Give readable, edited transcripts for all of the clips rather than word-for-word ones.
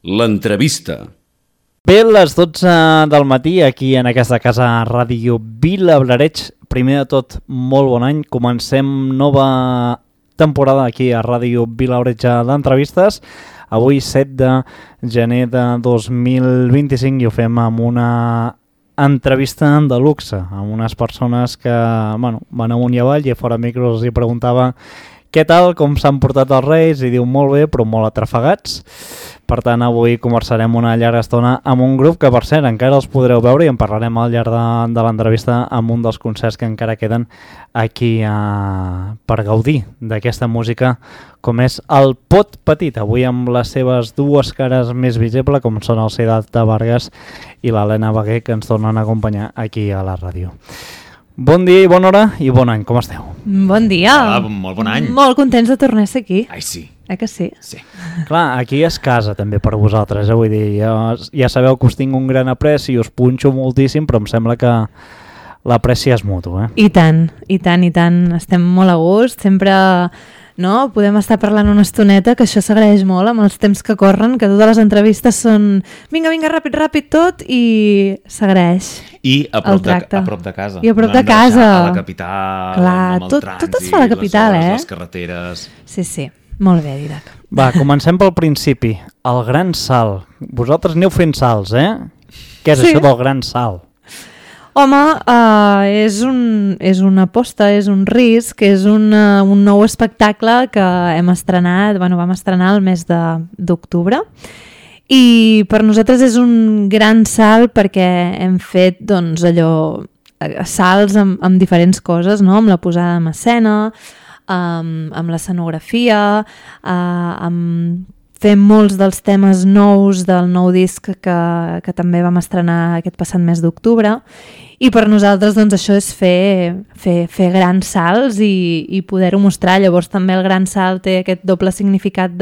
l'entrevista. Bé, les 12 del matí, aquí en aquesta casa Ràdio Vilablareix. Primer de tot, molt bon any. Comencem nova temporada aquí a Ràdio Vilablareix d'entrevistes. Avui, 7 de gener de 2025, i ho fem amb una entrevista de luxe, amb unes persones que van amunt i avall, i a fora micros els hi preguntava què tal, com s'han portat els Reis, i diu molt bé, però molt atrafegats. Per tant, avui conversarem una llarga estona amb un grup que, per cert, encara els podreu veure, i en parlarem al llarg de l'entrevista amb un dels concerts que encara queden aquí per gaudir d'aquesta música, com és el Pot Petit, avui amb les seves dues cares més visibles, com són el Siddhartha Vargas i l'Helena Bagué, que ens tornen a acompanyar aquí a la ràdio. Bon dia i bona hora i bon any, com esteu? Bon dia. Hola, molt bon any. Molt contents de tornar a ser aquí. Ai, sí. Que sí? Sí. Clar, aquí és casa també per vosaltres, vull dir, ja sabeu que us tinc un gran apreci i us punxo moltíssim, però em sembla que l'apreci és mutu, I tant, i tant, i tant. Estem molt a gust, sempre... No? Podem estar parlant una estoneta, que això s'agraeix molt amb els temps que corren, que totes les entrevistes són vinga, ràpid tot, i s'agraeix. I a prop de casa. I a prop de casa. A la capital, clar, amb el trànsit, tot es fa a la capital, les carreteres... Sí. Molt bé, Didac. Va, comencem pel principi. El gran salt. Vosaltres aneu fent salts, Què és això del gran salt? Home, és una aposta, és un risc, és un nou espectacle que hem estrenat, vam estrenar el mes d'octubre, i per nosaltres és un gran salt perquè hem fet salts amb diferents coses, no? Amb la posada en escena, amb l'escenografia, amb fer molts dels temes nous del nou disc que també vam estrenar aquest passat mes d'octubre, i per nosaltres això és fer grans salts i poder-ho mostrar. Llavors també el gran salt té aquest doble significat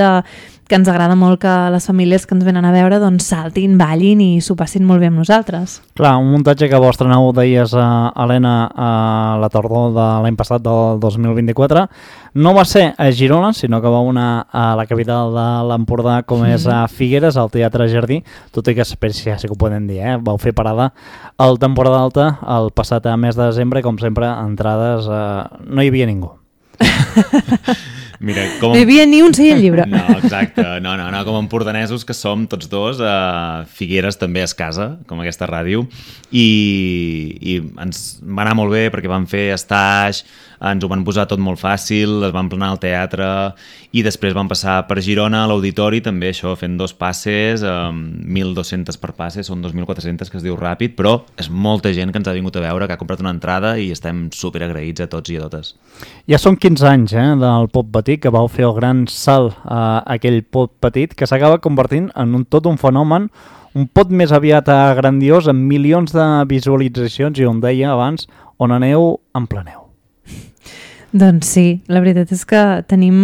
que ens agrada molt que les famílies que ens venen a veure saltin, ballin i s'ho passin molt bé amb nosaltres. Clar, un muntatge que vos estreneu, deies, Helena, a la tardor de l'any passat, del 2024, no va ser a Girona, sinó que va anar a la capital de l'Empordà, com és a Figueres, al Teatre Jardí, tot i que ja sí que ho podem dir, vau fer parada al temporada alta el passat mes de desembre, com sempre, entrades, no hi havia ningú. Mira, no hi havia ni un seient llibre. No, exacte. No, com empordanesos que som tots dos, Figueres també és casa, com aquesta ràdio, i ens va anar molt bé perquè vam fer estatge, ens ho van posar tot molt fàcil, es van planar al teatre, i després van passar per Girona a l'auditori, també això, fent 2 passes, 1.200 per passe, són 2.400, que es diu ràpid, però és molta gent que ens ha vingut a veure, que ha comprat una entrada, i estem superagraïts a tots i a totes. Ja són 15 anys del Pot Petit, que vau fer el gran salt a aquell Pot Petit, que s'acaba convertint en tot un fenomen, un pot més aviat grandiós, amb milions de visualitzacions, i on deia abans, on aneu, en planeu. Doncs sí, la veritat és que tenim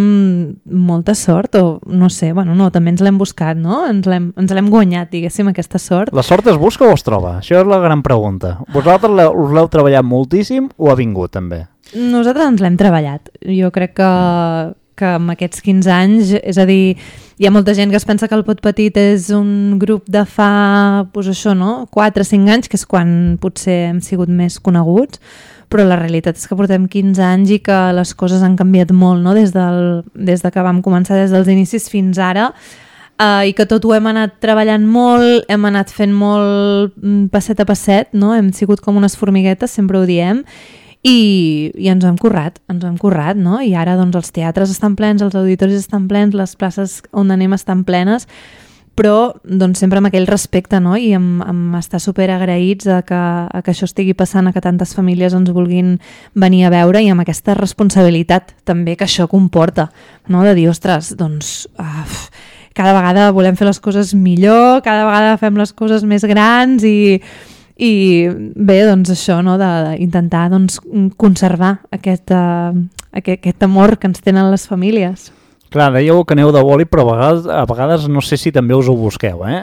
molta sort, o no sé, també ens l'hem buscat, no? Ens l'hem guanyat, diguéssim, aquesta sort. La sort es busca o es troba? Això és la gran pregunta. Vosaltres us l'heu treballat moltíssim o ha vingut, també? Nosaltres ens l'hem treballat. Jo crec que amb aquests 15 anys, és a dir, hi ha molta gent que es pensa que el Pot Petit és un grup de fa, 4 o 5 anys, que és quan potser hem sigut més coneguts, però la realitat és que portem 15 anys i que les coses han canviat molt, no? Des que vam començar, des dels inicis fins ara, i que tot ho hem anat treballant molt, hem anat fent molt passet a passet, no? Hem sigut com unes formiguetes, sempre ho diem, i ens ho hem currat, no? I ara els teatres estan plens, els auditoris estan plens, les places on anem estan plenes, però sempre amb aquell respecte, no? I amb estar superagraïts que això estigui passant, que tantes famílies ens vulguin venir a veure, i amb aquesta responsabilitat també que això comporta, no? De dir, ostres, cada vegada volem fer les coses millor, cada vegada fem les coses més grans, i bé, això, no? D'intentar conservar aquest amor que ens tenen les famílies. Clar, dèieu que aneu de boli, però a vegades no sé si també us ho busqueu, eh?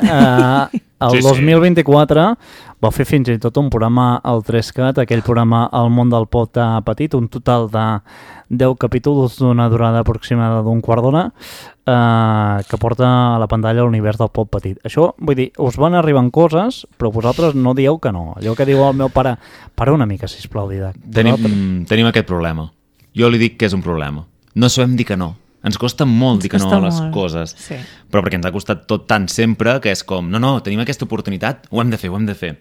El 2024 va fer fins i tot un programa al 3CAT, aquell programa El món del pot petit, un total de 10 capítols d'una durada aproximada d'un quart d'hora, que porta a la pantalla l'univers del pot petit. Això, vull dir, us van arribant coses, però vosaltres no dieu que no. Allò que diu el meu pare, para una mica, sisplau, Didac. Tenim aquest problema. Jo li dic que és un problema. No sabem dir que no. Ens costa molt dir que no a les coses, sí. Però perquè ens ha costat tot tant sempre que és com, no, tenim aquesta oportunitat, ho hem de fer.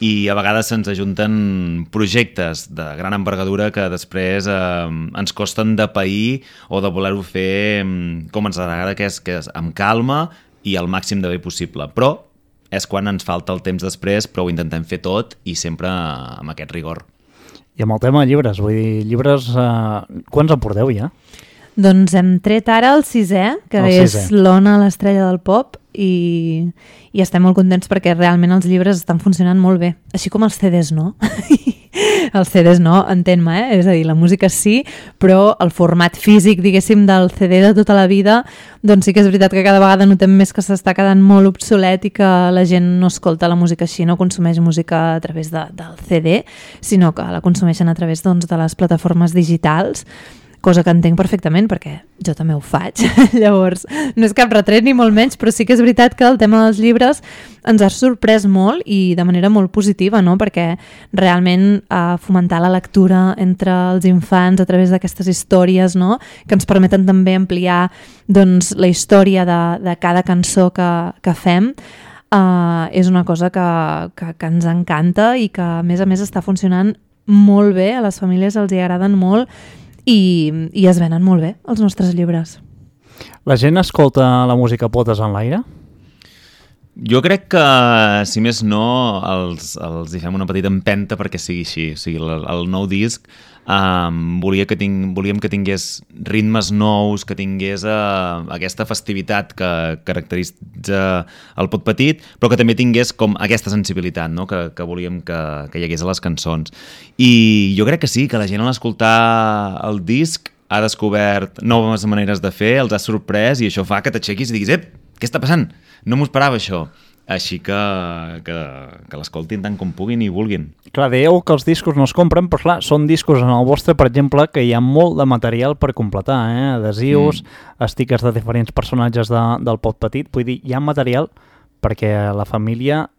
I a vegades se'ns ajunten projectes de gran envergadura que després ens costen de pair o de voler-ho fer com ens agrada, que és amb calma i al màxim de bé possible. Però és quan ens falta el temps després, però ho intentem fer tot i sempre amb aquest rigor. I amb el tema de llibres, vull dir, llibres, quants en porteu ja? Doncs hem tret ara el 6è, que és l'Ona, l'estrella del pop, i estem molt contents perquè realment els llibres estan funcionant molt bé, així com els CDs no. Els CDs no, entén-me, és a dir, la música sí, però el format físic, diguéssim, del CD de tota la vida, doncs sí que és veritat que cada vegada notem més que s'està quedant molt obsolet i que la gent no escolta la música així, no consumeix música a través del CD, sinó que la consumeixen a través doncs, de les plataformes digitals, cosa que entenc perfectament perquè jo també ho faig. Llavors, no és cap retret ni molt menys, però sí que és veritat que el tema dels llibres ens ha sorprès molt i de manera molt positiva, no? Perquè realment fomentar la lectura entre els infants a través d'aquestes històries, no? Que ens permeten també ampliar doncs, la història de cada cançó que fem, és una cosa que ens encanta i que a més està funcionant molt bé, a les famílies els hi agraden molt i es venen molt bé els nostres llibres. La gent escolta la música potes en l'aire? Jo crec que, si més no, els hi fem una petita empenta perquè sigui així. O sigui, el nou disc volíem que tingués ritmes nous, que tingués aquesta festivitat que caracteritza el pot petit, però que també tingués com aquesta sensibilitat, no? que volíem que hi hagués a les cançons. I jo crec que sí, que la gent a l'escoltar el disc ha descobert noves maneres de fer, els ha sorprès i això fa que t'aixequis i diguis què està passant? No m'ho esperava això. Així que l'escoltin tant com puguin i vulguin. Clar, dèieu que els discos no es compren, però clar, són discos en el vostre, per exemple, que hi ha molt de material per completar, adhesius, stickers de diferents personatges del pot petit, vull dir, hi ha material perquè la família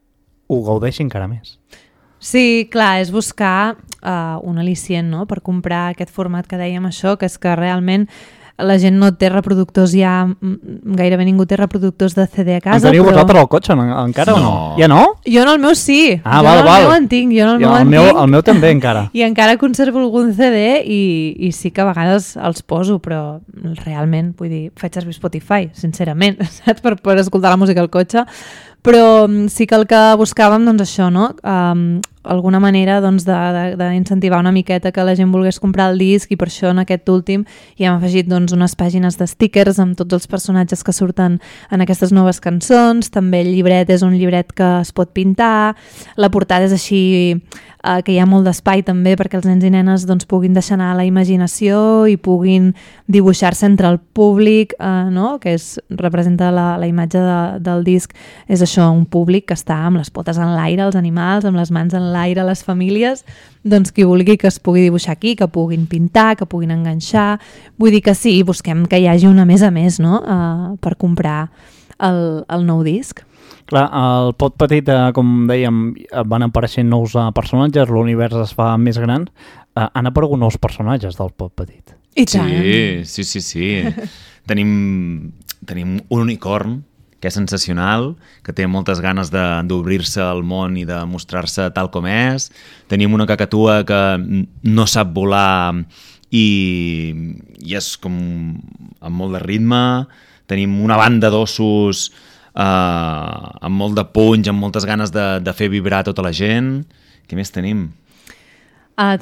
ho gaudeixi encara més. Sí, clar, és buscar un al·licient, no?, per comprar aquest format que dèiem això, que és que realment la gent no té reproductors ja, gairebé ningú té reproductors de CD a casa. En teniu vosaltres al cotxe encara o no? Ja no? Jo en el meu sí. Ah, jo en el meu en tinc, el meu també encara. I encara conservo algun CD i sí que a vegades els poso, però realment, vull dir, faig servir Spotify, sincerament, saps? Per escoltar la música al cotxe. Però sí que el que buscàvem, doncs això, no? Alguna manera doncs, d'incentivar una miqueta que la gent volgués comprar el disc i per això en aquest últim hi hem afegit doncs, unes pàgines de stickers amb tots els personatges que surten en aquestes noves cançons. També el llibret és un llibret que es pot pintar, la portada és així que hi ha molt d'espai també perquè els nens i nenes doncs, puguin deixar anar la imaginació i puguin dibuixar-se entre el públic, no? Que representa la imatge del disc, és això, un públic que està amb les potes en l'aire, els animals, amb les mans en l'aire, les famílies, doncs qui vulgui que es pugui dibuixar aquí, que puguin pintar, que puguin enganxar, vull dir que sí, busquem que hi hagi una més a més, no? Per comprar el nou disc. Clar, el pot petit, com dèiem, van apareixent nous personatges, l'univers es fa més gran. Han aparegut nous personatges del pot petit. I tant! Sí. Tenim un unicorn que és sensacional, que té moltes ganes d'obrir-se al món i de mostrar-se tal com és. Tenim una cacatua que no sap volar i és com amb molt de ritme. Tenim una banda d'ossos amb molt de punys, amb moltes ganes de fer vibrar tota la gent. Què més tenim?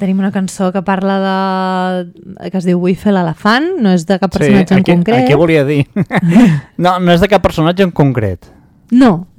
Tenim una cançó que parla que es diu Vull fer l'elefant, no és de cap personatge en concret. Què volia dir? No és de cap personatge en concret. No,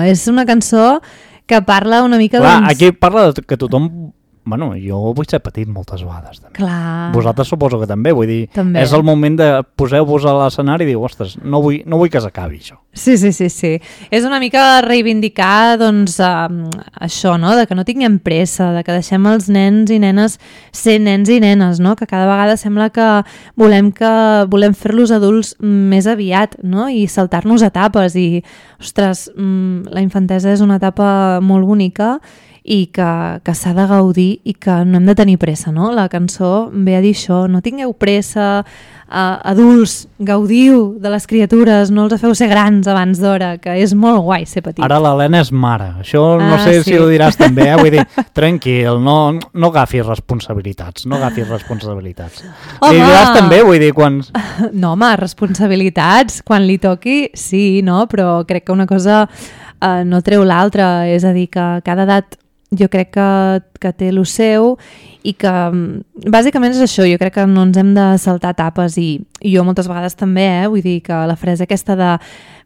és una cançó que parla una mica... Clar, aquí parla que tothom Bueno, jo vull ser petit moltes vegades. També. Clar. Vosaltres suposo que també, vull dir, També. és el moment de poseu-vos a l'escenari i diu, ostres, no vull que s'acabi això. Sí. És una mica reivindicar doncs, això, no? De que no tinguem pressa, de que deixem els nens i nenes ser nens i nenes, no? Que cada vegada sembla que volem fer-los adults més aviat, no? I saltar-nos etapes i, ostres, la infantesa és una etapa molt bonica i que s'ha de gaudir i que no hem de tenir pressa, no? La cançó ve a dir això, no tingueu pressa, adults, gaudiu de les criatures, no els feu ser grans abans d'hora, que és molt guai ser petit. Ara l'Helena és mare, això no sé si ho diràs també, vull dir, tranquil, no agafis responsabilitats, Home! Li diràs també, vull dir, quan... No, home, responsabilitats, quan li toqui, sí, no? Però crec que una cosa no treu l'altra, és a dir, que cada edat jo crec que té el seu i que bàsicament és això, jo crec que no ens hem de saltar etapes i jo moltes vegades també, vull dir que la frase aquesta de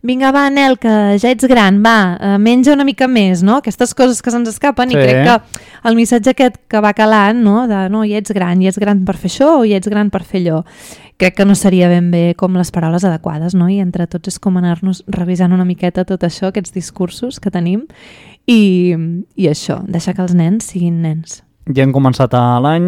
vinga va Nel, que ja ets gran, va, menja una mica més, no? Aquestes coses que se'ns escapen. Sí. I crec que el missatge aquest que va calant, no? De no, ja ets gran per fer això o ja ets gran per fer allò, crec que no seria ben bé com les paraules adequades, no? I entre tots és com anar-nos revisant una miqueta tot això, aquests discursos que tenim i això, deixar que els nens siguin nens. Ja hem començat l'any,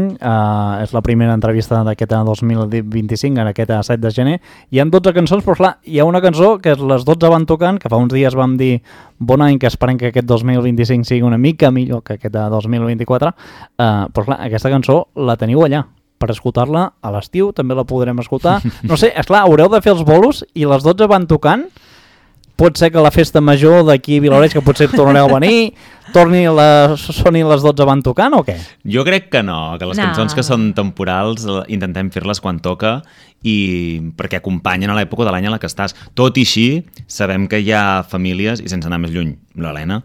és la primera entrevista d'aquest 2025, en aquest 7 de gener. Hi ha 12 cançons, però clar, hi ha una cançó que és Les 12 van tocant, que fa uns dies vam dir bon any, que esperem que aquest 2025 sigui una mica millor que aquest 2024, però clar, aquesta cançó la teniu allà per escoltar-la a l'estiu, també la podrem escoltar. No sé, esclar, haureu de fer els bolos i les 12 van tocant. Pot ser que la festa major d'aquí a Vilaoreig, que potser tornareu a venir, soni les 12 van tocant o què? Jo crec que no, que les cançons que són temporals intentem fer-les quan toca i perquè acompanyen a l'època de l'any en la que estàs. Tot i així, sabem que hi ha famílies, i sense anar més lluny, l'Helena,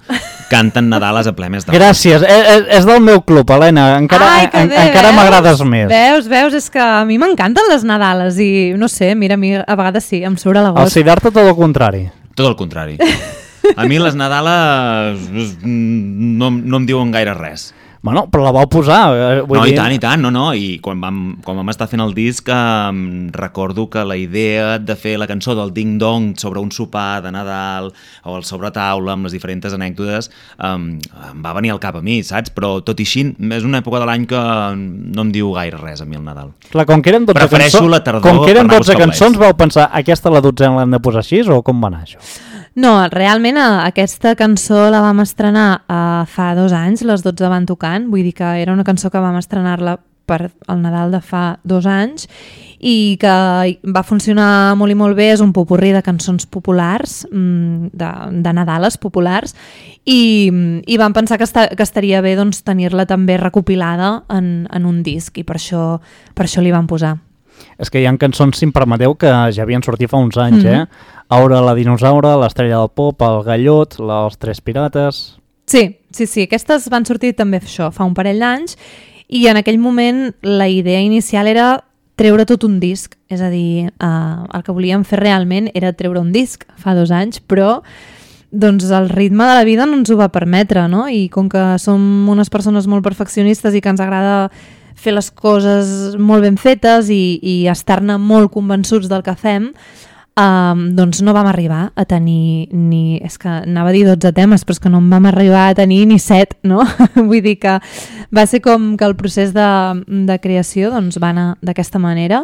canten Nadales a ple mes de... Gràcies, és del meu club, Helena, encara m'agrades més. Veus, és que a mi m'encanten les Nadales i no sé, mira, a mi a vegades sí, em surt a l'agost. Al Siddhartha tot el contrari. Tot el contrari. A mi les Nadales no em diuen gaire res. Bueno, però la vau posar. Vull dir... I tant, no. I quan vam estar fent el disc recordo que la idea de fer la cançó del Ding Dong sobre un sopar de Nadal o el sobretaula amb les diferents anècdotes em va venir al cap a mi, saps? Però tot i així és una època de l'any que no em diu gaire res a mi el Nadal. Clar, com que eren 12 Prefereixo la tardor. Com que eren 12 cançons vau pensar aquesta la 12a l'hem de posar així o com va anar això? No, realment aquesta cançó la vam estrenar fa 2 anys, les 12 van tocant, vull dir que era una cançó que vam estrenar-la per el Nadal de fa 2 anys i que va funcionar molt i molt bé, és un popurrí de cançons populars, de Nadales populars, i vam pensar que estaria bé doncs, tenir-la també recopilada en un disc i per això li vam posar. És que hi ha cançons, si em permeteu, que ja havien sortit fa uns anys, Aura la dinosaura, l'Estrella del Pop, el Gallot, els Tres Pirates... Sí, aquestes van sortir també això, fa un parell d'anys, i en aquell moment la idea inicial era treure tot un disc, és a dir, el que volíem fer realment era treure un disc fa 2 anys, però doncs el ritme de la vida no ens ho va permetre, no? I com que som unes persones molt perfeccionistes i que ens agrada fer les coses molt ben fetes i estar-ne molt convençuts del que fem, doncs no vam arribar a tenir és que anava a dir 12 temes, però és que no en vam arribar a tenir ni 7, no? Vull dir que va ser com que el procés de creació doncs, va anar d'aquesta manera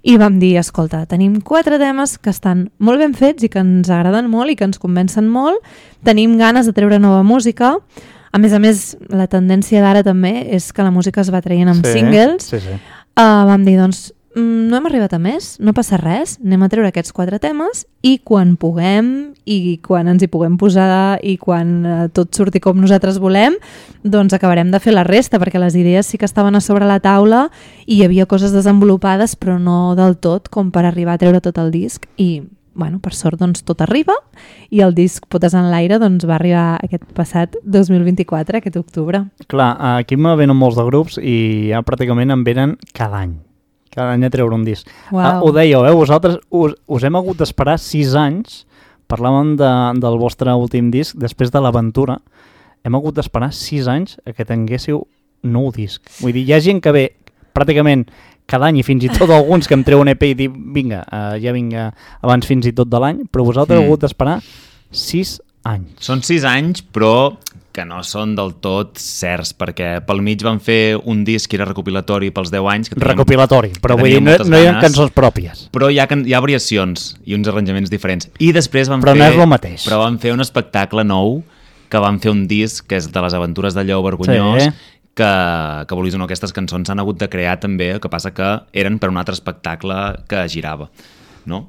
i vam dir, escolta, tenim 4 temes que estan molt ben fets i que ens agraden molt i que ens convencen molt, tenim ganes de treure nova música. A més, la tendència d'ara també és que la música es va traient amb singles. Sí. Vam dir, doncs, no hem arribat a més, no passa res, anem a treure aquests 4 temes i quan puguem i quan ens hi puguem posar i quan tot surti com nosaltres volem, doncs acabarem de fer la resta, perquè les idees sí que estaven a sobre la taula i hi havia coses desenvolupades, però no del tot com per arribar a treure tot el disc i... Bueno, per sort doncs tot arriba i el disc Potes en l'aire doncs va arribar aquest passat 2024, aquest octubre. Clar, aquí me venen molts de grups i ja pràcticament en venen cada any a treure un disc. Ho dèieu, vosaltres us hem hagut d'esperar 6 anys, parlàvem del vostre últim disc, després de l'Aventura, hem hagut d'esperar 6 anys a que tinguéssiu nou disc. Vull dir, hi ha gent que ve pràcticament cada any i fins i tot alguns que em treuen EP i dic, vinga, ja vinga abans fins i tot de l'any, però vosaltres heu hagut d'esperar 6 anys. Són 6 anys, però que no són del tot certs, perquè pel mig van fer un disc que era recopilatori pels 10 anys. Recopilatori, però vull dir, no hi ha cançons pròpies. Però hi ha variacions i uns arranjaments diferents. I després però no és el mateix. Però van fer un espectacle nou, que van fer un disc que és de les aventures de Lleó Vergonyós, sí. que volies o no, aquestes cançons s'han hagut de crear també, el que passa que eren per un altre espectacle que girava, no?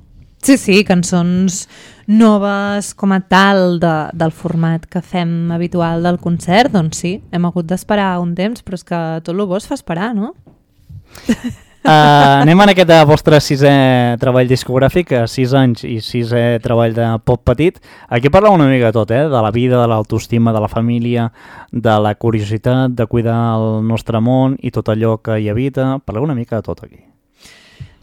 Sí, cançons noves com a tal del format que fem habitual del concert, doncs sí, hem hagut d'esperar un temps, però és que tot el bo es fa esperar, no? Anem en aquest vostre 6è treball discogràfic, 6 anys i 6è treball de pop petit. Aquí parla una mica de tot, de la vida, de l'autoestima, de la família, de la curiositat, de cuidar el nostre món i tot allò que hi habita. Parleu una mica de tot aquí.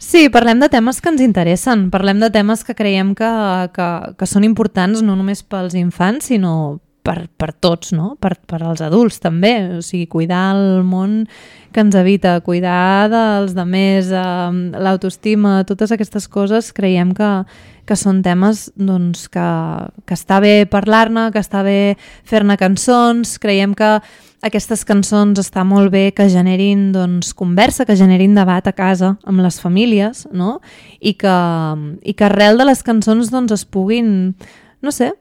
Sí, parlem de temes que ens interessen, parlem de temes que creiem que són importants no només pels infants, sinó per tots, no? Per als adults també, o sigui, cuidar el món que ens habita, cuidar dels demés, l'autoestima, totes aquestes coses creiem que són temes doncs, que està bé parlar-ne, que està bé fer-ne cançons, creiem que aquestes cançons està molt bé que generin doncs, conversa, que generin debat a casa amb les famílies, no? I que arrel de les cançons doncs, es puguin, no sé,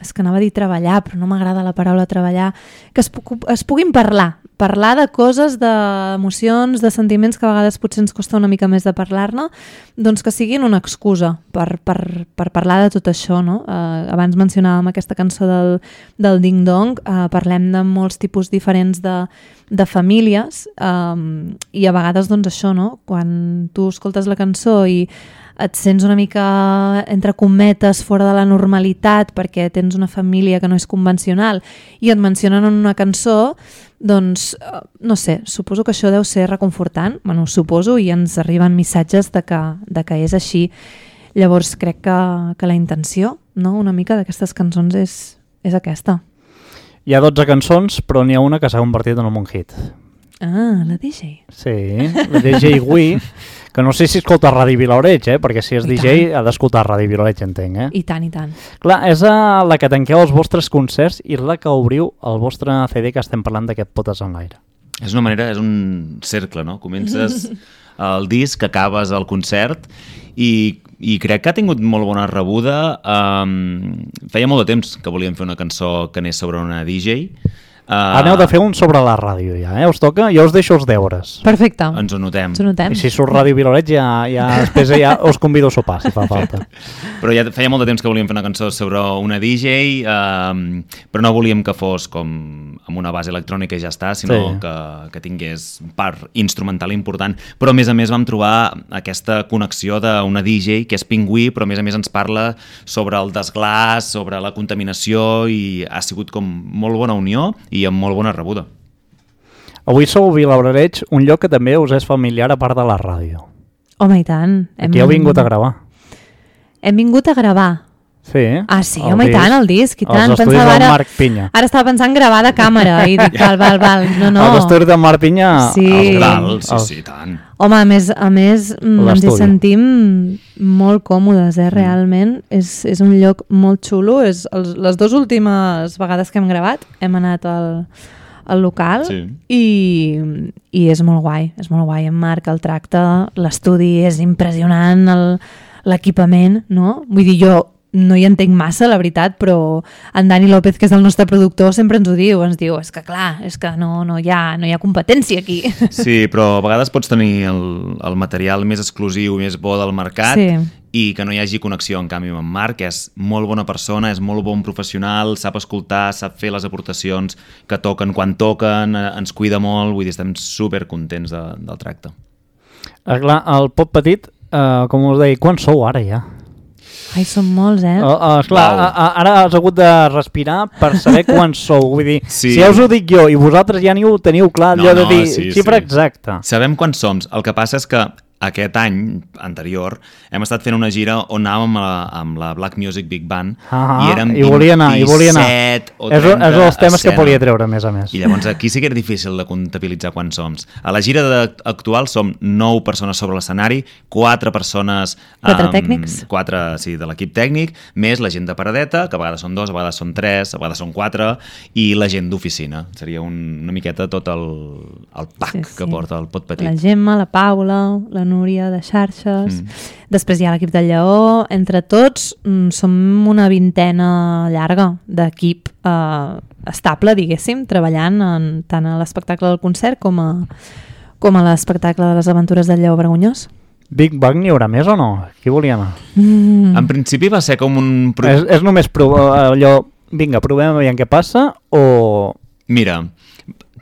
és que anava a dir treballar, però no m'agrada la paraula treballar, que es puguin parlar de coses, d'emocions, de sentiments que a vegades potser ens costa una mica més de parlar-ne, doncs que siguin una excusa per parlar de tot això, no? Abans mencionàvem aquesta cançó del Ding Dong, parlem de molts tipus diferents de famílies i a vegades doncs això, no? Quan tu escoltes la cançó i et sents una mica, entre cometes, fora de la normalitat perquè tens una família que no és convencional i et mencionen en una cançó, doncs, no sé, suposo que això deu ser reconfortant, bueno, suposo, i ens arriben missatges de que és així. Llavors crec que la intenció, no?, una mica d'aquestes cançons és aquesta. Hi ha 12 cançons, però n'hi ha una que s'ha convertit en un hit. Ah, la DJ. Sí, la DJ Wii, que no sé si escolta Ràdio Vilaoreig, perquè si és DJ ha d'escoltar Ràdio Vilaoreig, entenc, I tant, i tant. Clar, és la que tanqueu els vostres concerts i la que obriu el vostre CD que estem parlant d'aquest Potes en l'aire. És una manera, és un cercle, no? Comences el disc, acabes el concert i crec que ha tingut molt bona rebuda. Feia molt de temps que volíem fer una cançó que anés sobre una DJ. Aneu de fer un sobre la ràdio ja, us toca? Jo us deixo els deures. Perfecte. Ens ho notem. I si surt Ràdio Vilaoreig després ja us convido a sopar, si fa falta. Però ja feia molt de temps que volíem fer una cançó sobre una DJ, però no volíem que fos com amb una base electrònica i ja està, sinó que tingués part instrumental important. Però a més vam trobar aquesta connexió d'una DJ que és Pingüí, però a més ens parla sobre el desglàs, sobre la contaminació i ha sigut com molt bona unió i amb molt bona rebuda. Avui sou a Vilaoreig, un lloc que també us és familiar a part de la ràdio. Home, i tant. Aquí heu vingut a gravar. Hem vingut a gravar. Sí. Ah, sí, home, i tant, el disc, i tant. Els estudis del Marc Pinya. Ara estava pensant gravar de càmera i dic, val. No. Els estudis del Marc Pinya... Sí. Sí, tant. Home, a més ens hi sentim molt còmodes, realment. És un lloc molt xulo. Les dues últimes vegades que hem gravat hem anat al local i és molt guai, En Marc el tracta, l'estudi és impressionant, l'equipament, no? Vull dir, jo no hi entenc massa, la veritat, però en Dani López, que és el nostre productor, sempre ens diu, és que clar, és que no hi ha competència aquí. Sí, però a vegades pots tenir el material més exclusiu, més bo del mercat i que no hi hagi connexió. En canvi, amb en Marc és molt bona persona, és molt bon professional, sap escoltar, sap fer les aportacions que toquen quan toquen, ens cuida molt, vull dir, estem supercontents del tracte. Clar, el Pop Petit, com us deia, quan sou ara ja? Ai, són molts, Esclar, ara has hagut de respirar per saber quants sou. Vull dir, si ja us ho dic jo i vosaltres ja ni ho teniu clar, allò de dir xifra exacta. Sabem quants som. El que passa és que aquest any anterior hem estat fent una gira on anàvem amb la Black Music Big Band i érem 27 o 30 és els temes que escena. volia treure, a més a més. I llavors aquí sí que era difícil de comptabilitzar quants som. A la gira actual som 9 persones sobre l'escenari, 4 persones... 4 tècnics. 4, sí, de l'equip tècnic, més la gent de paradeta, que a vegades són 2, a vegades són 3, a vegades són 4, i la gent d'oficina. Seria una miqueta tot el pack que porta el Pot Petit. La Gemma, la Paula, la Núria de xarxes, després hi ha l'equip del Lleó, entre tots som una vintena llarga d'equip estable, diguéssim, treballant tant a l'espectacle del concert com a l'espectacle de les aventures del Lleó Vergonyós. Big Bang n'hi haurà més o no? Qui volia anar? En principi va ser com un... És només allò, vinga, provem a veure què passa o... Mira,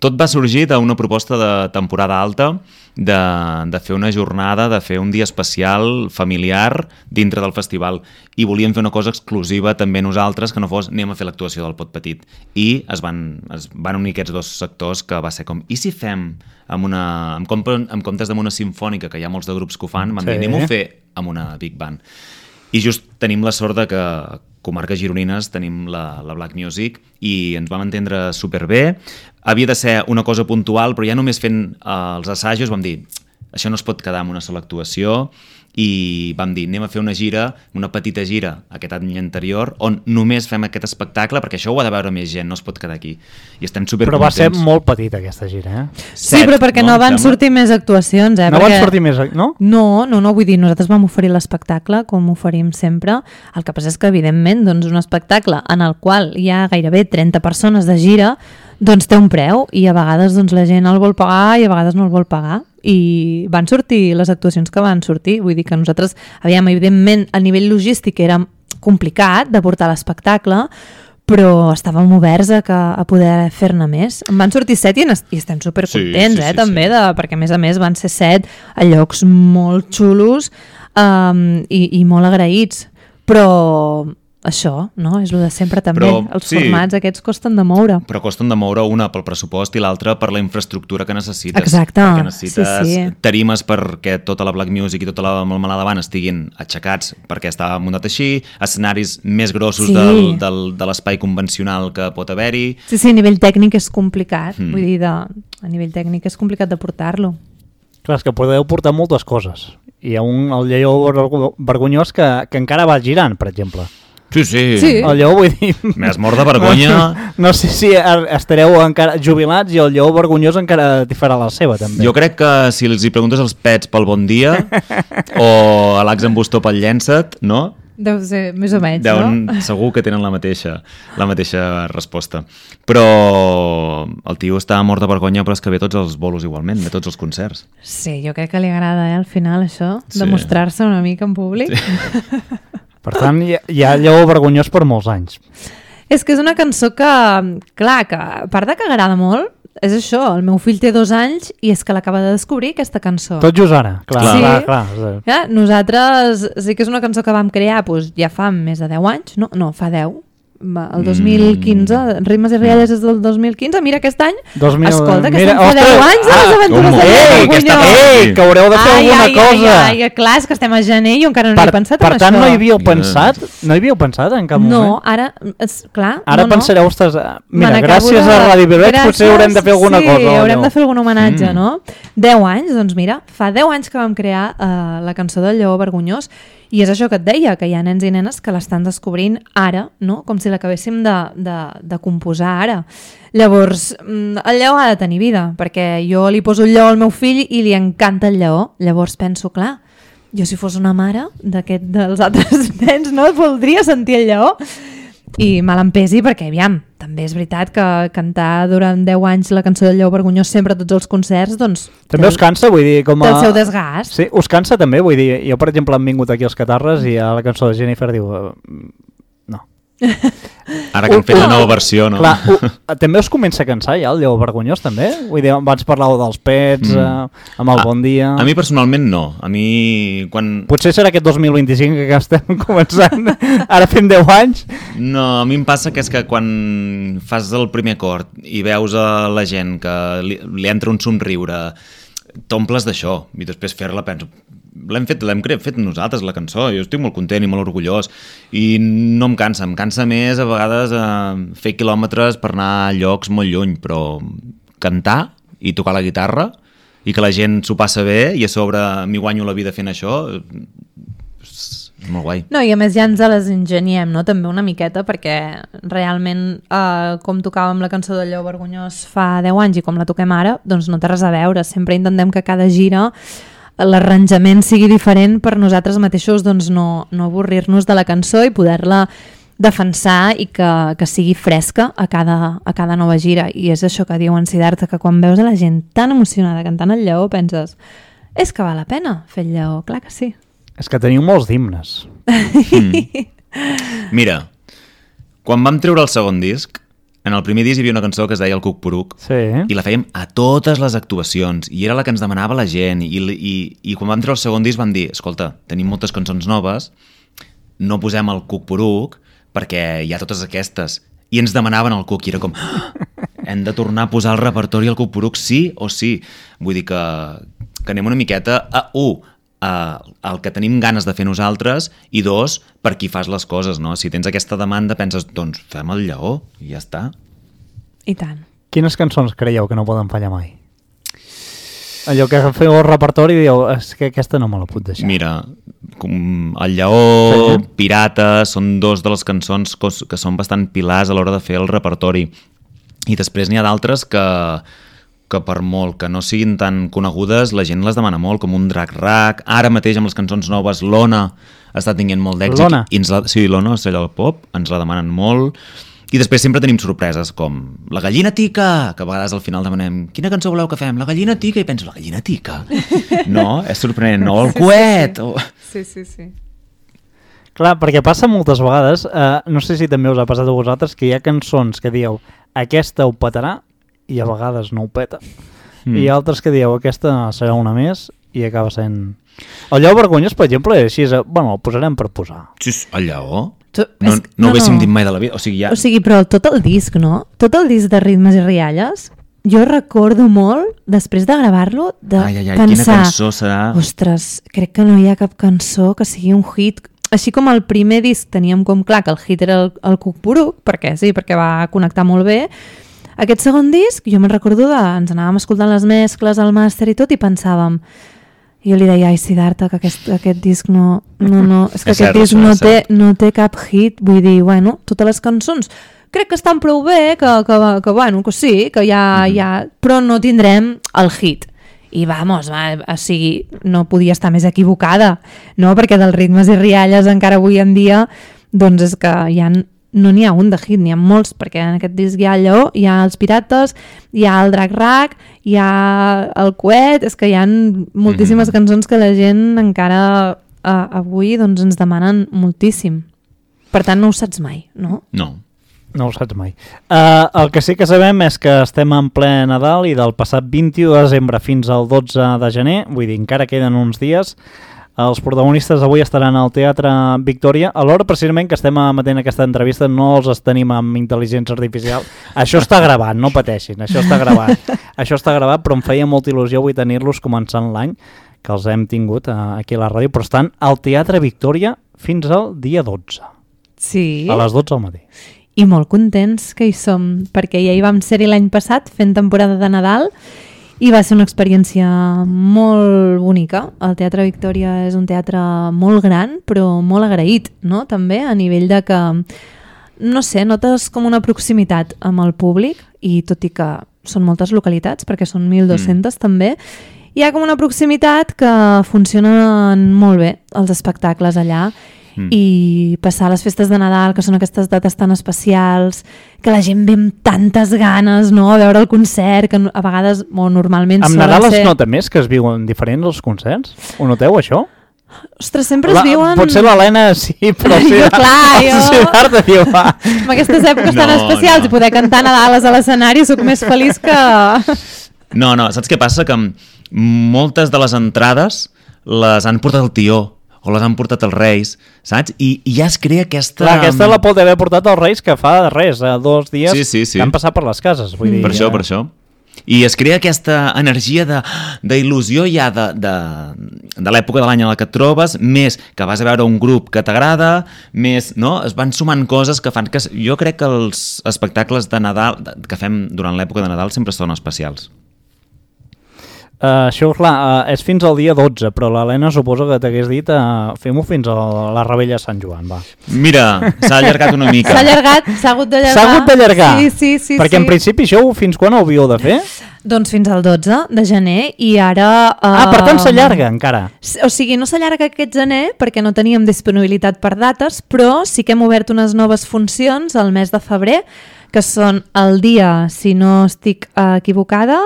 tot va sorgir d'una proposta de temporada alta de fer una jornada, de fer un dia especial familiar dintre del festival i volíem fer una cosa exclusiva també nosaltres, que no fos anem a fer l'actuació del Pot Petit, i es van unir aquests dos sectors, que va ser com, i si fem en comptes d'una sinfònica, que hi ha molts de grups que ho fan, vam dir, anem a fer amb una Big Band. I just tenim la sort de que comarques gironines tenim la Black Music i ens vam entendre superbé. Havia de ser una cosa puntual, però ja només fent els assajos vam dir, això no es pot quedar en una sola actuació, i vam dir, anem a fer una gira, una petita gira aquest any anterior, on només fem aquest espectacle, perquè això ho ha de veure més gent, no es pot quedar aquí. I estem supercontents. Però va ser molt petita aquesta gira, eh? Sí, però perquè no van sortir més actuacions, eh? No van sortir més, no? No, vull dir, nosaltres vam oferir l'espectacle, com oferim sempre. El que passa és que, evidentment, doncs, un espectacle en el qual hi ha gairebé 30 persones de gira, doncs té un preu, i a vegades doncs, la gent el vol pagar i a vegades no el vol pagar. I van sortir les actuacions que van sortir, vull dir que nosaltres, evidentment, a nivell logístic era complicat de portar l'espectacle, però estàvem oberts a poder fer-ne més. En van sortir 7 i estem supercontents, també, perquè a més van ser 7 a llocs molt xulos i molt agraïts. Però això, no? És el de sempre també. Els formats aquests costen de moure. Però costen de moure, una pel pressupost i l'altra per la infraestructura que necessites. Exacte. Perquè necessites tarimes perquè tota la Black Music i tota la melmelada banda estiguin aixecats perquè està muntat així, escenaris més grossos de l'espai convencional que pot haver-hi. Sí, a nivell tècnic és complicat. Vull dir, a nivell tècnic és complicat de portar-lo. Clar, és que podeu portar moltes coses. Hi ha el Lleó Vergonyós que encara va girant, per exemple. Sí. El Lleó, vull dir... M'has mort de vergonya. No sé si estareu encara jubilats i el Lleó Vergonyós encara t'hi farà la seva, també. Jo crec que si els hi preguntes als pets pel bon dia o a l'Ax en Bustó pel llença't, no? Deu ser més o menys, no? Segur que tenen la mateixa resposta. Però el tio està mort de vergonya, però és que ve tots els bolos igualment, ve tots els concerts. Sí, jo crec que li agrada, al final, això, demostrar-se una mica en públic. Sí. Per tant, hi ha Lleó Vergonyós per molts anys. És que és una cançó que, clar, que a part de que agrada molt, és això, el meu fill té 2 anys i és que l'acaba de descobrir, aquesta cançó. Tot just ara, clar. Sí. Clar. Ja, nosaltres sí que és una cançó que vam crear ja fa més de 10 anys, no, fa 10. El 2015, Ritmes i Rialles és del 2015, mira aquest any, escolta, que estem fa 10 anys de les aventures de Lleó Vergonyós. Que haureu de fer alguna cosa. Clar, és que estem a gener i jo encara no he pensat en això. Per tant, no hi havíeu pensat en cap moment? No, ara, clar. Ara pensareu, mira, gràcies a Ràdio Vilareig potser haurem de fer alguna cosa. Sí, haurem de fer algun homenatge, no? 10 anys, doncs mira, fa 10 anys que vam crear la cançó del Lleó Vergonyós. I és això que et deia, que hi ha nens i nenes que l'estan descobrint ara, no? Com si l'acabéssim de composar ara. Llavors, el lleó ha de tenir vida, perquè jo li poso el lleó al meu fill i li encanta el lleó. Llavors penso, clar, jo si fos una mare dels altres nens, no? Voldria sentir el lleó. I mal em pesi perquè, aviam, també és veritat que cantar durant 10 anys la cançó del Lleó Vergonyós sempre a tots els concerts, doncs... També us cansa, vull dir, com a... Del seu desgast. Sí, us cansa també, vull dir, jo per exemple hem vingut aquí als Catarres i a la cançó de Jennifer diu... No. Ara que han fet la nova versió, no? Clar, també us comença a cansar ja el Lleó Vergonyós, també? Vull dir, abans parlàveu dels pets, amb el Bon Dia... A mi personalment no. A mi, quan... Potser serà aquest 2025 que estem començant, ara fem 10 anys. No, a mi em passa que és que quan fas el primer acord i veus a la gent que li entra un somriure, t'omples d'això, i després fer-la, penso, l'hem fet nosaltres, la cançó, jo estic molt content i molt orgullós, i no em cansa més a vegades fer quilòmetres per anar a llocs molt lluny, però cantar i tocar la guitarra i que la gent s'ho passa bé i a sobre m'hi guanyo la vida fent això, és molt guai. No, i a més ja ens les ingeniem, no? També una miqueta, perquè realment com tocàvem la cançó del Lleó Vergonyós fa 10 anys i com la toquem ara, doncs no té res a veure. Sempre intentem que cada gira l'arranjament sigui diferent per nosaltres mateixos, doncs no avorrir-nos de la cançó i poder-la defensar i que sigui fresca a cada nova gira. I és això que diu en Siddhartha, que quan veus a la gent tan emocionada cantant el Lleó penses, és que val la pena fer el Lleó, clar que sí. És que teniu molts himnes. Mira, quan vam treure el segon disc, en el primer disc hi havia una cançó que es deia El Cuc Poruc, Sí. i la fèiem a totes les actuacions, i era la que ens demanava la gent, i quan vam treure el segon disc vam dir, escolta, tenim moltes cançons noves, no posem el Cuc Poruc, perquè hi ha totes aquestes, i ens demanaven el Cuc, i era com, hem de tornar a posar el repertori al Cuc Poruc, sí o sí. Vull dir que anem una miqueta a el que tenim ganes de fer nosaltres, i 2, per qui fas les coses, no? Si tens aquesta demanda, penses, doncs fem el Lleó, i ja està. I tant. Quines cançons creieu que no poden fallar mai? Allò que feu el repertori i dieu, és que aquesta no me la puc deixar. Mira, el Lleó, Pirata, són dos de les cançons que són bastant pilars a l'hora de fer el repertori. I després n'hi ha d'altres que per molt que no siguin tan conegudes, la gent les demana molt, com un Drac Rac. Ara mateix amb les cançons noves, l'Ona està tinguent molt d'èxit. L'Ona? Sí, l'Ona, Estrella del Pop, ens la demanen molt. I després sempre tenim sorpreses, com La Gallina Tica, que a vegades al final demanem quina cançó voleu que fem? La Gallina Tica, i penso, La Gallina Tica? No, és sorprenent. O El Coet! Sí. Clar, perquè passa moltes vegades, no sé si també us ha passat a vosaltres, que hi ha cançons que dieu, aquesta ho petarà, i a vegades no ho peta. I altres que dieu, aquesta serà una més, i acaba sent... El Lleó Vergonyós, per exemple, és així, bueno, el posarem per posar. Sí, el Lleó? No ho haguéssim dit mai de la vida. O sigui, però tot el disc, no? Tot el disc de Ritmes i Rialles, jo recordo molt, després de gravar-lo, de pensar... Quina cançó serà? Ostres, crec que no hi ha cap cançó que sigui un hit. Així com el primer disc teníem com clar que el hit era el Cuc Poruc, perquè va connectar molt bé. Aquest segon disc, jo me'n recordo ens anàvem escoltant les mescles, el màster i tot, i pensàvem... Jo li deia, ai, Siddhartha, que aquest disc no... És que aquest disc no té cap hit. Vull dir, bueno, totes les cançons crec que estan prou bé, que sí, que ja... Però no tindrem el hit. I o sigui, no podia estar més equivocada, no? Perquè dels Ritmes i Rialles encara avui en dia, doncs és que no n'hi ha un de hit, n'hi ha molts, perquè en aquest disc hi ha el Lleó, hi ha els Pirates, hi ha el Drac Rac, hi ha el Coet, és que hi ha moltíssimes cançons que la gent encara avui doncs, ens demanen moltíssim. Per tant, no ho saps mai, no? No ho saps mai. El que sí que sabem és que estem en ple Nadal i del passat 21 de desembre fins al 12 de gener, vull dir, encara queden uns dies. Els protagonistes avui estaran al Teatre Victòria. A l'hora precisament que estem emetent aquesta entrevista no els tenim amb intel·ligència artificial. Això està gravat, no pateixin, això està gravat, però em feia molta il·lusió avui tenir-los començant l'any, que els hem tingut aquí a la ràdio, però estan al Teatre Victòria fins al dia 12. Sí. A les 12 del matí. I molt contents que hi som, perquè ja hi vam ser-hi l'any passat fent temporada de Nadal, i va ser una experiència molt bonica. El Teatre Victòria és un teatre molt gran, però molt agraït, no? També a nivell de que, no sé, notes com una proximitat amb el públic, i tot i que són moltes localitats, perquè són 1.200 també, hi ha com una proximitat que funcionen molt bé els espectacles allà, i passar les festes de Nadal, que són aquestes dates tan especials, que la gent ve amb tantes ganes, no?, a veure el concert, que a vegades, o normalment... Amb Nadal es nota més que es viuen diferents els concerts? Ho noteu, això? Ostres, sempre es viuen... Potser l'Helena sí, però sí... Siddhartha diu, va. En aquestes èpoques tan especials i poder cantar Nadales a l'escenari sóc més feliç que... No, saps què passa? Que moltes de les entrades les han portat el tió, o les han portat els Reis, saps? I ja es crea aquesta... Clar, aquesta la pot haver portat els Reis que fa res, 2 dies sí. que han passat per les cases. Vull dir, per això. I es crea aquesta energia d'il·lusió ja de l'època de l'any en la que et trobes, més que vas a veure un grup que t'agrada, més, no? Es van sumant coses que fan que... Jo crec que els espectacles de Nadal que fem durant l'època de Nadal sempre són especials. Això, clar, és fins al dia 12, però l'Helena suposo que t'hagués dit fem-ho fins a la Rebella de Sant Joan, va. Mira, s'ha allargat una mica. S'ha allargat, s'ha hagut d'allargar. S'ha hagut d'allargar? Sí. Perquè en principi això fins quan ho havíeu de fer? Doncs fins al 12 de gener i ara... Per tant s'allarga encara. O sigui, no s'allarga aquest gener perquè no teníem disponibilitat per dates, però sí que hem obert unes noves funcions al mes de febrer, que són el dia, si no estic equivocada,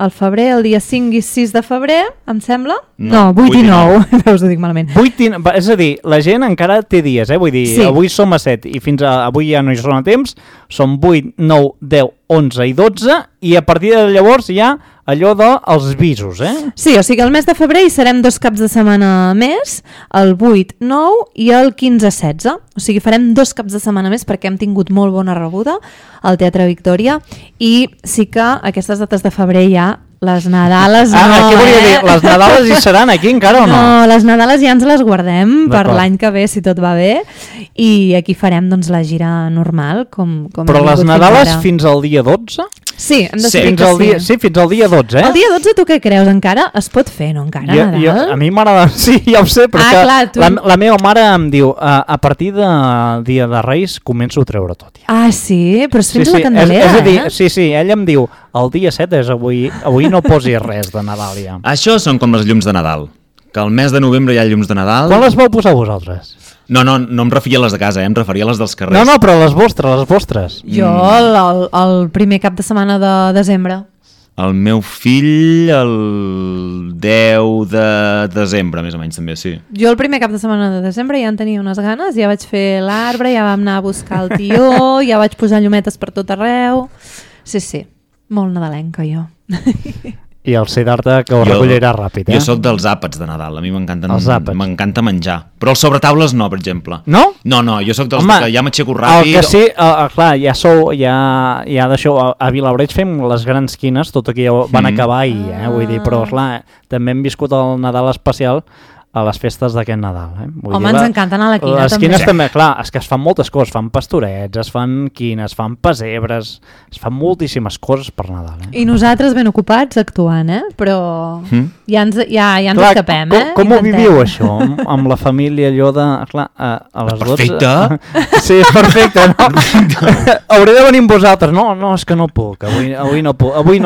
al febrer, el dia 5 i 6 de febrer, em sembla? No, 8 i 9. Veus, ho dic malament. 8 és a dir, la gent encara té dies, vull dir, sí. Avui som a 7 i fins avui ja no hi són a temps, són 8, 9, 10, 11 i 12 i a partir de llavors ja allò dels visos, Sí, o sigui, el mes de febrer hi serem 2 caps de setmana més, el 8, 9 i el 15, 16. O sigui, farem 2 caps de setmana més perquè hem tingut molt bona rebuda al Teatre Victòria i sí que aquestes dates de febrer ja les Nadales no, què volia dir? Les Nadales hi seran aquí encara o no? No, les Nadales ja ens les guardem per l'any que ve, si tot va bé, i aquí farem doncs la gira normal, com però les Nadales fins al dia 12? Sí, hem de sí, fins al dia, sí, fins al dia 12, El dia 12 tu què creus? Encara es pot fer, no? Encara, Nadal? A mi m'agrada, sí, ja ho sé, però clar, tu... la meva mare em diu a partir de dia de Reis començo a treure tot. Ja. Ah, sí? Però és fins a la Candelera, és a dir, sí, ella em diu el dia 7 és avui no posis res de Nadal ja. Això són com les llums de Nadal, que al mes de novembre hi ha llums de Nadal. Quan les vau posar vosaltres? No em referia a les de casa, em referia a les dels carrers. No, però les vostres. Jo el primer cap de setmana de desembre. El meu fill el 10 de desembre, més o menys, també, sí. Jo el primer cap de setmana de desembre ja en tenia unes ganes, ja vaig fer l'arbre, ja vam anar a buscar el tió, ja vaig posar llumetes per tot arreu. Sí, molt nadalenca jo. I el Siddhartha que ho recollirà ràpid, Jo sóc dels àpats de Nadal, a mi m'encanta menjar. Però els sobretaules no, per exemple. No? No, jo sóc dels que ja m'aixeco ràpid. El que sí, clar, ja d'això, a Vilabreig fem les grans quines, tot aquí ja van acabar ahir, vull dir, però clar, també hem viscut el Nadal especial a les festes d'aquest Nadal. Home, ens encanta anar a la quina, les quines també, clar, és que es fan moltes coses, fan pastorets, es fan quines, es fan pessebres, es fan moltíssimes coses per Nadal. I nosaltres ben ocupats actuant, però ja ens escapem, Com ho viviu això, amb la família, allò de... Clar, a les 12... Perfecte! Sí, perfecte, no? Hauré de venir amb vosaltres. No, és que no puc, avui no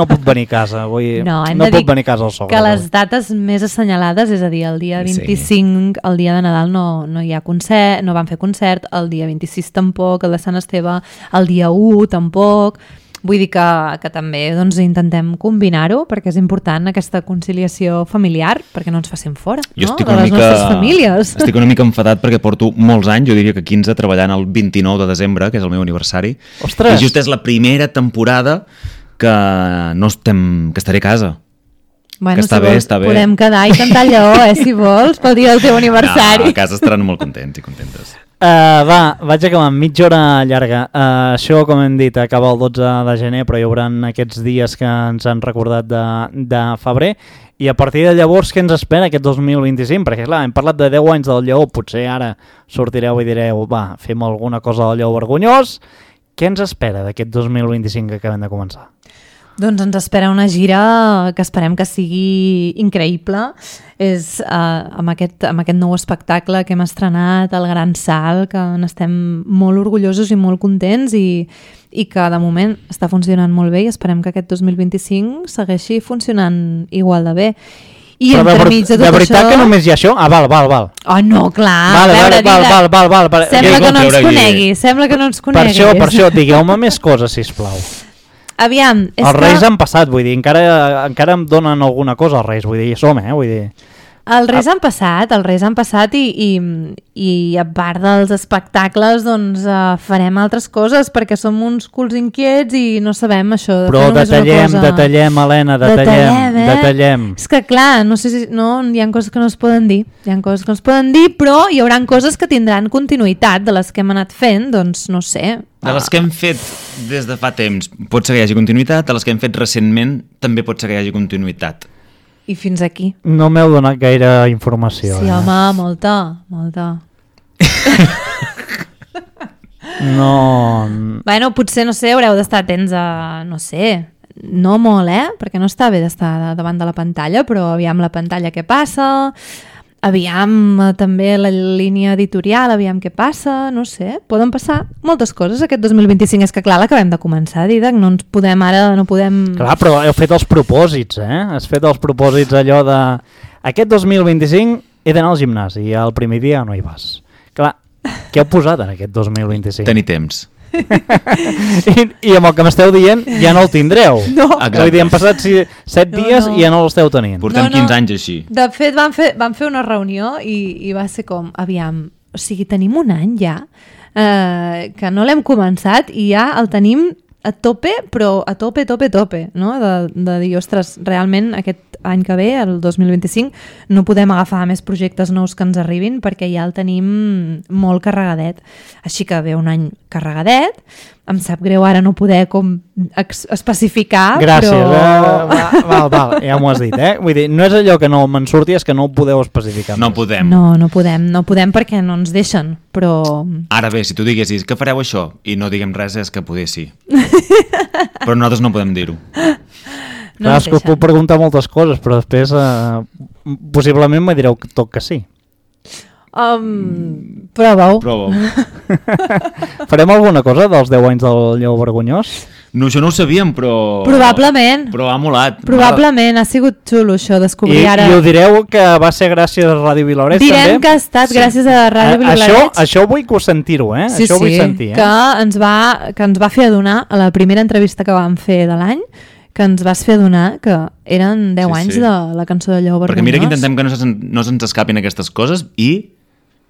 puc venir a casa, avui no puc venir a casa al sogre. Que les dates més assenyalades, és a dir, el dia 25, el dia de Nadal no hi ha concert, no van fer concert, el dia 26 tampoc, el de Sant Esteve, el dia 1 tampoc. Vull dir que també doncs, intentem combinar-ho perquè és important aquesta conciliació familiar perquè no ens facin fora de les nostres famílies. Estic una mica enfadat perquè porto molts anys, jo diria que 15, treballant el 29 de desembre, que és el meu aniversari. Ostres! I just és la primera temporada que estaré a casa. Bueno, que està bé. Podem quedar i cantar el lleó, si vols, pel dia del teu aniversari. No, a casa estaran molt contents i contentes. Vaig acabar amb mitja hora llarga. Això, com hem dit, acaba el 12 de gener, però hi haurà aquests dies que ens han recordat de febrer. I a partir de llavors, què ens espera aquest 2025? Perquè, clar, hem parlat de 10 anys del lleó, potser ara sortireu i direu, fem alguna cosa del lleó vergonyós. Què ens espera d'aquest 2025 que acabem de començar? Doncs ens espera una gira que esperem que sigui increïble. És amb aquest nou espectacle que hem estrenat, el Gran Salt, que n'estem molt orgullosos i molt contents i que de moment està funcionant molt bé i esperem que aquest 2025 segueixi funcionant igual de bé. I però de veritat això... que només hi ha això? Val. Oh, no, clar. Val. Sembla que no ens conegui. Per això, digueu-me més coses, sisplau. Aviam, els Reis han passat, vull dir, encara em donen alguna cosa els Reis, vull dir, vull dir... Els Reis han passat i a part dels espectacles doncs farem altres coses perquè som uns culs inquiets i no sabem això de però fer només una cosa. detallem, Helena, detallem. És que clar, no sé si hi ha coses que no es poden dir, però hi haurà coses que tindran continuïtat de les que hem anat fent, doncs no sé. De les que hem fet des de fa temps pot ser que hi hagi continuïtat, de les que hem fet recentment també pot ser que hi hagi continuïtat. I fins aquí. No m'heu donat gaire informació. Sí, home, molta. No... Bueno, potser, no sé, haureu d'estar atents a, no sé, no molt, perquè no està bé d'estar davant de la pantalla, però aviam la pantalla què passa, aviam també la línia editorial, aviam què passa, no sé, poden passar moltes coses aquest 2025, és que clar, l'acabem de començar, Didac, no podem... Clar, però heu fet els propòsits, Has fet els propòsits allò de... Aquest 2025 he d'anar al gimnàs i el primer dia no hi vas. Clar, què heu posat en aquest 2025? Tenir temps. I amb el que m'esteu dient ja no el tindreu. No. Vull dir, han passat 7 dies i ja no l'esteu tenint. Portem 15 anys així. De fet, vam fer una reunió i va ser com, aviam, o sigui, tenim un any ja que no l'hem començat i ja el tenim a tope, però a tope, no? De dir, ostres, realment aquest any que ve, el 2025, no podem agafar més projectes nous que ens arribin perquè ja el tenim molt carregadet. Així que ve un any carregadet, em sap greu ara no poder com especificar, gràcies, però... Val, ja m'ho has dit, Vull dir, no és allò que no me'n surti, és que no ho podeu especificar. No podem. No podem perquè no ens deixen, però... Ara bé, si tu diguessis que fareu això i no diguem res és que poder sí. Però nosaltres no podem dir-ho. No, és que us puc preguntar moltes coses, però després possiblement me direu tot que sí. Prova-ho. Farem alguna cosa dels 10 anys del Lleó Vergonyós? No, això no ho sabíem, però... Probablement. Però ha molat. Probablement, ha sigut xulo això, descobrir ara... I ho direu que va ser gràcies a Ràdio Vilaoreig, també? Direm que ha estat gràcies a Ràdio Vilaoreig. Això vull que ho sentir-ho, Sí, això vull sentir, que ens va fer adonar a la primera entrevista que vam fer de l'any, que ens vas fer adonar que eren 10 anys de la cançó de Lleó Vergonyós. Perquè mira que intentem que no se'ns escapin aquestes coses i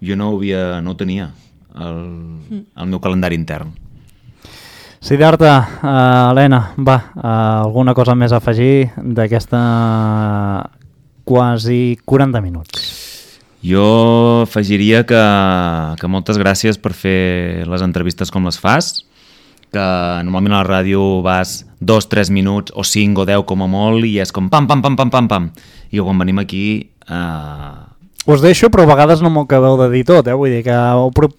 jo no ho tenia al meu calendari intern. Siddhartha, Helena, va, alguna cosa més a afegir d'aquesta quasi 40 minuts? Jo afegiria que moltes gràcies per fer les entrevistes com les fas, que normalment a la ràdio vas 2-3 minuts o 5 o 10 com a molt i és com pam, pam, pam, pam, pam, pam. I quan venim aquí... Us deixo, però a vegades no m'ho acabeu de dir tot, Vull dir que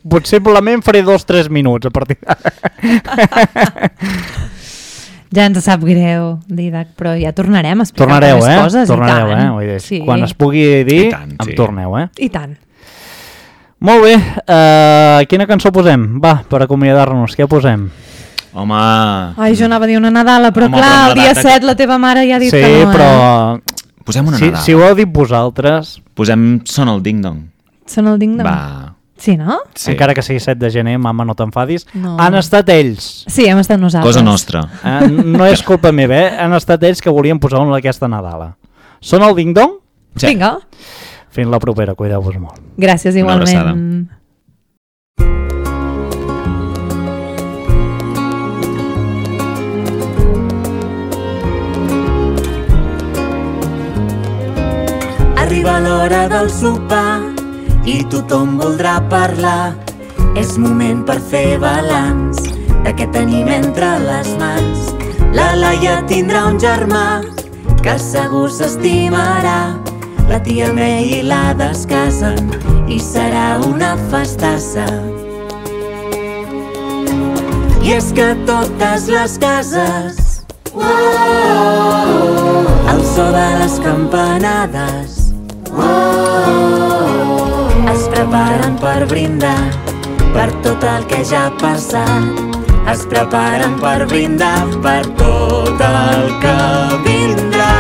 possiblement faré 2-3 minuts a partir Ja ens sap greu, Didac, però ja tornarem a explicar més coses. Tornareu, Vull dir, sí. Quan es pugui dir, em torneu, I tant. Molt bé, quina cançó posem? Va, per acomiadar-nos, què posem? Home... Ai, jo anava a dir una Nadala, però clar, el dia 7 la teva mare ja ha dit que no. Sí, però... Posem una Nadala. Si ho heu dit vosaltres... Posem Sona el Ding Dong. Sona el Ding Dong? Va. Sí, no? Sí. Encara que sigui 7 de gener, mama, no t'enfadis. No. Han estat ells. Sí, hem estat nosaltres. Cosa nostra. No és culpa meva, Han estat ells que volien posar una d'aquesta Nadala. Sona el Ding Dong? Sí. Vinga. Fins la propera, cuideu-vos molt. Gràcies, igualment. Arriba l'hora del sopar i tothom voldrà parlar. És moment per fer balanç de què tenim entre les mans. La Laia tindrà un germà que segur s'estimarà. La tia May i la descasen i serà una festassa. I és que totes les cases, el so de les campanades, es preparen per brindar per tot el que ja ha passat. Es preparen per brindar per tot el que vindrà.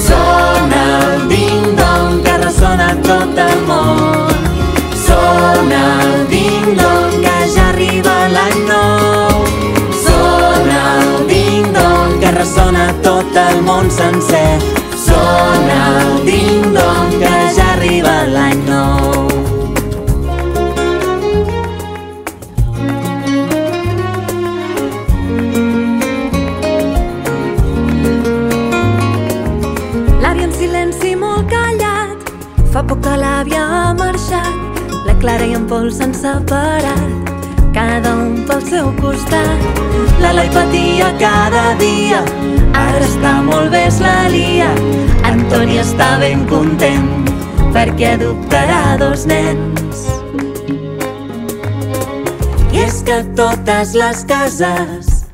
Sona el ding-dong que ressona tot el món. Sona el ding-dong que ja arriba l'any nou. Sona el ding-dong que ressona tot el món sencer. Sona el ding-dong que ja arriba l'any nou. L'avi en silenci molt callat, fa poc que l'àvia ha marxat. La Clara i en Pol s'han separat, cada un pel seu costat. L'Eloi patia cada dia, ara està molt bé, és la Lia. Antoni està ben content perquè adoptarà 2 nens. I és que totes les cases,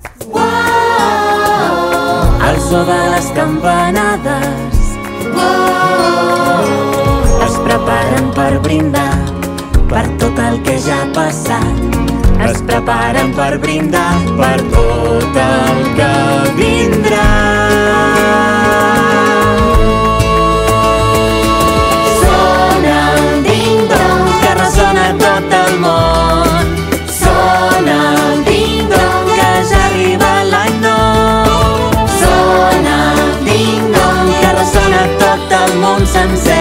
el so de les campanades, es preparen per brindar per tot el que ja ha passat. Es preparen per brindar per tot el que vindrà. Sona el ding-dong que ressona tot el món. Sona el ding-dong que ja arriba l'any nou. Sona el ding-dong que ressona tot el món sencer.